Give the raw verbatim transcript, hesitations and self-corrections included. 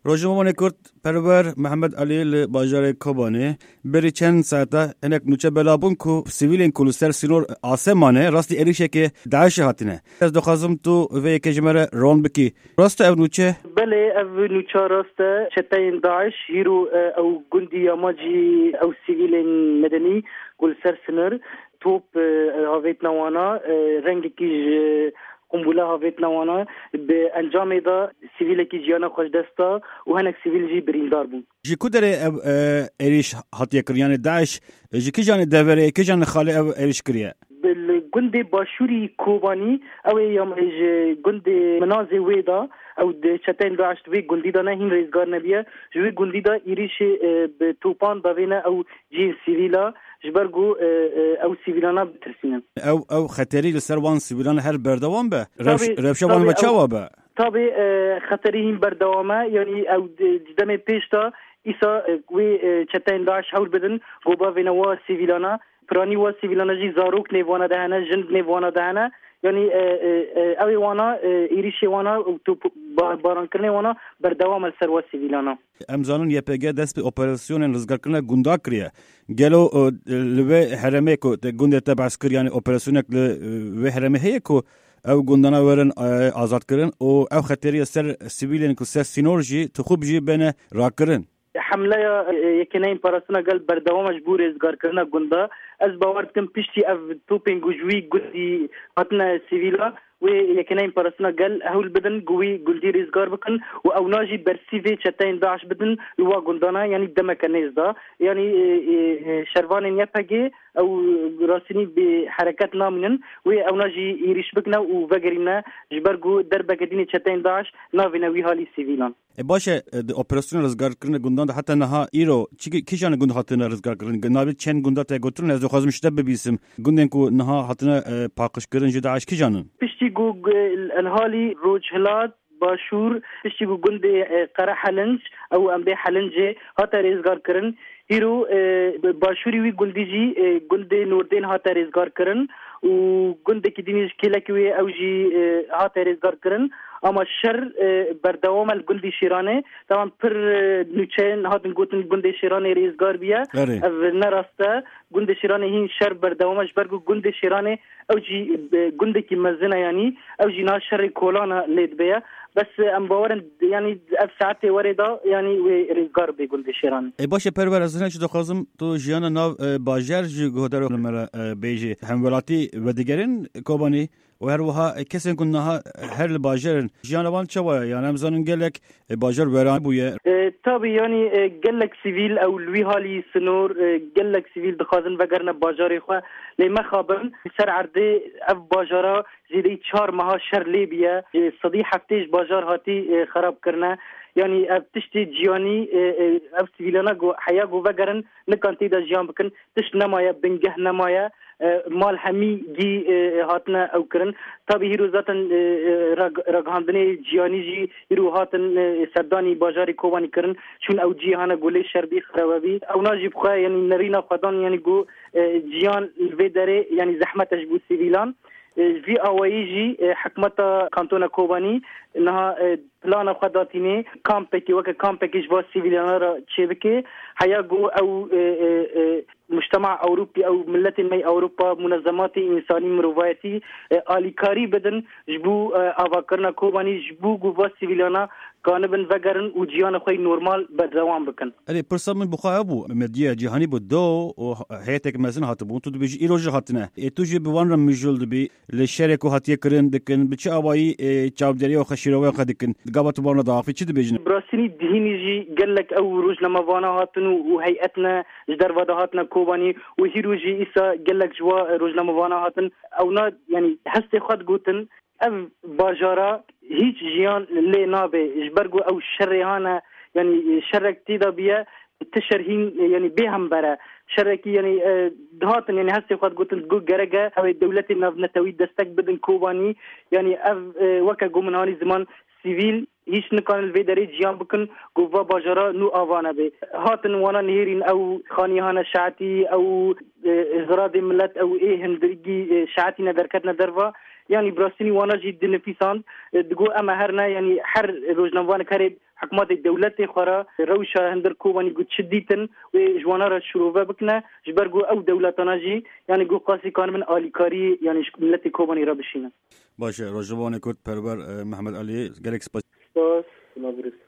Rojnamevanê Kurd Perwer Mihemed Elî li bajarê Kobanê berî çend saeta hinek nûçe bela bûn ku sivîlên ku li ser sînor asê mane rastî êrîşeke DAIŞê hatine. Ez dixwazim tu vê yekê ji me re ron bikî. Rast e ev nûçe? Belê, ev nûça rast e. Çeteyên DAIŞ hîro, e, ew gundî ya me jî ew sivîlên medenî ku li ser sinir top, e, havêtine wana, e, rengekî ji qumbûle havêtine wana. Bi encamê de sivîlekî jiyana xwe ji dest da û hinek sivîl jî birîndar bûn. Ji ku derê ev, e, êrîş hatiye kirin? Yanî DAIŞ ji kîjanê deverê, kîjanê xalê ev êrîş kiriye? Bi, li gundê başûrî Kobanî, ew ê ya ji gundê Minazê wê de, ew di çeteyên DAIŞ di wê gundî de ne, hîn rêzgar nebiye. Ji wê gundî de êrîşê, e, bi topan davêne ew cihên sivîla, ji ber ku, e, e, ew sivîlana bitirsînin. Ew, ew xeterî li ser wan sivîlan her berdewam be? Rewş-, Tabii, rewşa wan tabii, ve ew çawa be? Tabii, e, xeterî hîn berdewam e. Yanî ew di, di demê pêş de îsa, e, wê, e, çeteyên DAIŞ hewl bidin ku bavêne wa sivîlana. Piranî wa sivîlana jî zarok nêv wana de hene, jin nêv wana de hene. Yanî, e, e, e, ew ê wana, e, êrîşê wana û top ba-, barankirinê wana berdewam e li ser wa sivîlana. Em zanin Y P G dest bi operasyonên rizgarkirina gunda kiriye. Gelo, e, li vê herêmê ku te gundê te behs kir, yanî operasyonek li, e, vê herêmê heye ku ew gundana werin, e, azadkirin û ew xeterî ser sivîlên ku ser sînor jî tixûb jî bêne rakirin? Hemleya, e, Yekeneyên Parastina Gel berdewam e ji bo rêzgarkirina gunda. Ez bawer dikim piştî ev topên ku ji wî gundî hatine sivîla, wê Yekeneyên Parastina Gel hewl bidin ku wî gundî rêzgar bikin û ewna jî bersîvê çeteyên DAIŞ bidin li wa gundana, yanî demeke nêz de. Yanî, e, e, e, şervanên Y P G ew rastînî bi hereket namînin, wê ewna jî êrîş bikine û vegerîne, ji ber ku derbeke dînê çeteyên DAIŞ navêne wî halî sivîlan. E, baş e, e, di operasyona rizgarkirina gundan de heta niha îro çi, kîjan gund hatine rizgarkirin? Navê çend gunda te gotin, ez dixwazim ji te bibîsim. Gundên ku niha hatine, e, paqijkirin ji DAIŞ kîjan in? Piştî ku, e, li halî Rojhilat, Başûr, piştî ku gundê, e, Qere Helinc, ew em bê Helincê, hate rêzgarkirin, îro, e, başûrî wî gundî jî, e, gundê Nordên hate rêzgarkirin û gundekî dînî ji kêlekî wê ew jî, e, hate rêzgarkirin. Ama şer, e, berdewam e li gundî Şêranê. Tamam, pir, e, nûçeyên hatin gotin gundê Şêranê rêzgar bûye. Erê. Ev ne rast e. Gundê Şêranê hîn şer berdewam e, ji ber ku gundê Şêranê ew jî, e, gundekî mezin e, yanî ew jî niha şerê kolana lê dibe ye. Bes, e, em bawer in, yanî ev saetê werê de, yanî wê rêzgar bê gundê Şêranê. E, baş e, Perwer, ez hinek jî dixwazim tu jiyana nav, e, bajar ji guhdarê li me re, e, bêjî. Hemwelatî vedigerin Kobanî? Û her wiha, e, kesên ku niha her li bajar in, jiyana wan çawa ye? Yanî em zanin gelek, e, bajar weran bûye. E, tabî, yanî, e, gelek sivîl ew li wî halî sinor, e, gelek sivîl dixwazin vegerine bajarê xwe. Lê mexabin, li ser erdê ev bajara zêdeyî çar meha şer lê bûye. E, sedî heftê ji bajar hatî, e, xerab kirine. Yanî ev tiştê ciyanî, e, e, ev sivîlana ku heya ku vegerin, nikan tê de jiyan bikin. Tişt nemaye, bingeh nemaye. E, mal hemî gî, e, hatine ew kirin. Tabî hîro zaten, e, e, rag-, ragihandinê ciyanî jî hîro hatin, e, serdanî bajarê Kobanî kirin. Çûn ew cî hane ku lê şer bî, xerabe bî. Ewna jî bi xwe, yanî nerîna xwedan, yanî ku, e, ciyan li vê derê, yanî zehmet e ji bo sivîlan. E, ji vî awayî jî, e, hikûmeta Kantona Kobanî niha, e, plana xwe datînê kampekî, weke kampekî ji bo sivîlana re çêbike. Heya ku ew, e, e, e, mujtema Ewropî, ew miletên me yê Ewropa, munezematê însanî, mirovayetî, e, alîkarî bidin ji bo, e, avakirina Kobanî, ji bo ku va sivîlana kanibin vegerin û ciyana xwe yî normal berdewam bikin. Erê, pirsa min bi xwe ew bû, medya cîhanî bû do û heyetek mezin hatibûn, tu dibêjî îro jî hatine. Ê tu jî bi wan re mijûl dibî, li şerê ku hatiye kirin dikin, bi çi awayî, ê, çavdêriya xwe, şîroveya xwe dikin? Gava tu bi wan re diaxivî, çi dibêjin? Bi rastî dihînî jî gelek ew rojnamevana hatin û, û heyetine ji derve de hatine Kobanî û hîro jî îsa gelek ji wa rojnamevana hatin. Ewna, yanî hestê xwe digotin, ev bajara hîç jiyan lê nabe, ji ber ku ew şerê hane, yanî şerek tê de biye, ti şer hîn, yanî bê hember e. Şerekî, yanî, e, dihatin, yanî hestê xwe digotin, digot gerek e ew ê dewletên navnetewî destek bidin Kobanî. Yanî ev, e, weke ku min hanî ziman, sivîl hîç nikarin li vê derê ciyan bikin ku va bajara nû ava nebe. Hatin wana nihêrîn, ew xanî hane şeetî, ew, e, ziradê milet, ew ê hindirgî, e, şeetîne derketine derva. Yanî bi rastî wana jî dinifîsand, e, digot, em her ne, yanî her rojnamevanek herê hikûmetê dewletê xwe re rewşa hundir Kobanî ku çi dîtin wê ji wana re şirove bikine, ji ber ku ew dewletana jî, yanî ku qasî kanibin alîkarî, yanî ji miletê Kobanî re bişînin. Baş e, rojnamevanê Kurd Perwer, e, Mehmet Elî, gelek spas. Spas, sima birîs.